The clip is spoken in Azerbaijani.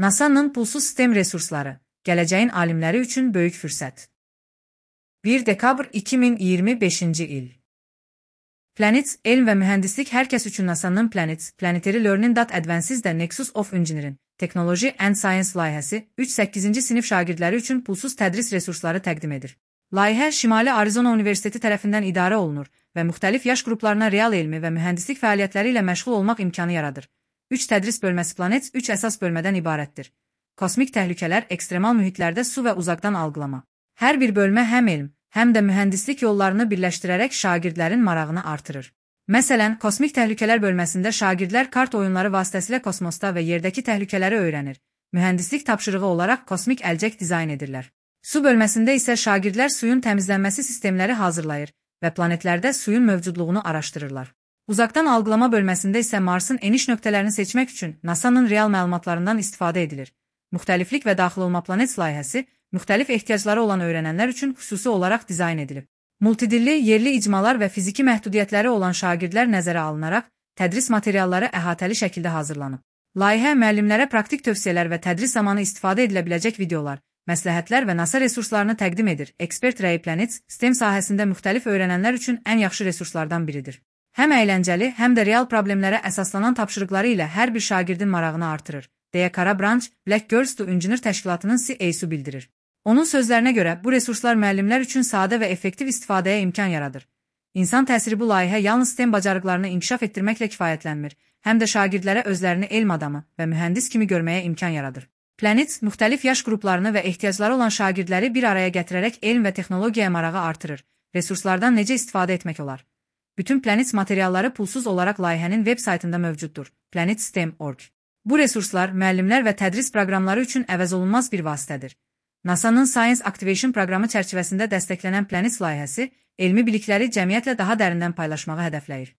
NASA'nın pulsuz sistem resursları, gələcəyin alimləri üçün böyük fürsət. 1 dekabr 2025 il. Planets, elm və mühəndislik hər kəs üçün NASA'nın Planetary Learning That Advances the Nexus of Engineering, Technology and Science layihəsi 3-8-ci sinif şagirdləri üçün pulsuz tədris resursları təqdim edir. Layihə Şimali Arizona Universiteti tərəfindən idarə olunur və müxtəlif yaş qruplarına real elmi və mühəndislik fəaliyyətləri ilə məşğul olmaq imkanı yaradır. 3 tədris bölməsi Planets 3 əsas bölmədən ibarətdir. Kosmik təhlükələr, ekstremal mühitlərdə su və uzaqdan algılama. Hər bir bölmə həm elm, həm də mühəndislik yollarını birləşdirərək şagirdlərin marağını artırır. Məsələn, kosmik təhlükələr bölməsində şagirdlər kart oyunları vasitəsilə kosmosda və yerdəki təhlükələri öyrənir. Mühəndislik tapşırığı olaraq kosmik əlcək dizayn edirlər. Su bölməsində isə şagirdlər suyun təmizlənməsi sistemləri hazırlayır və planetlərdə suyun mövcudluğunu araşdırırlar. Uzaqdan algılama bölməsində isə Marsın eniş nöqtələrini seçmək üçün NASA'nın real məlumatlarından istifadə edilir. Müxtəliflik və daxil olma Planets layihəsi müxtəlif ehtiyacları olan öyrənənlər üçün xüsusi olaraq dizayn edilib. Multidilli, yerli icmalar və fiziki məhdudiyyətləri olan şagirdlər nəzərə alınaraq tədris materialları əhatəli şəkildə hazırlanıb. Layihə müəllimlərə praktik tövsiyələr və tədris zamanı istifadə edilə biləcək videolar, məsləhətlər və NASA resurslarını təqdim edir. Ekspert rəyi Planets, STEM sahəsində müxtəlif öyrənənlər üçün ən yaxşı resurslardan biridir. Həm əyləncəli, həm də real problemlərə əsaslanan tapşırıqları ilə hər bir şagirdin marağını artırır, deyə Kara Branch, Black Girls to Engineer təşkilatının CEO-su bildirir. Onun sözlərinə görə, bu resurslar müəllimlər üçün sadə və effektiv istifadəyə imkan yaradır. İnsan təsiri bu layihə yalnız STEM bacarıqlarını inkişaf etdirməklə kifayətlənmir, həm də şagirdlərə özlərini elm adamı və mühəndis kimi görməyə imkan yaradır. Planets, müxtəlif yaş qruplarını və ehtiyacları olan şagirdləri bir araya gətirərək elm və texnologiyaya marağı artırır. Resurslardan necə istifadə etmək olar? Bütün Planets materialları pulsuz olaraq layihənin veb saytında mövcuddur, planetstem.org. Bu resurslar müəllimlər və tədris proqramları üçün əvəzolunmaz bir vasitədir. NASA'nın Science Activation proqramı çərçivəsində dəstəklənən Planets layihəsi elmi bilikləri cəmiyyətlə daha dərindən paylaşmağı hədəfləyir.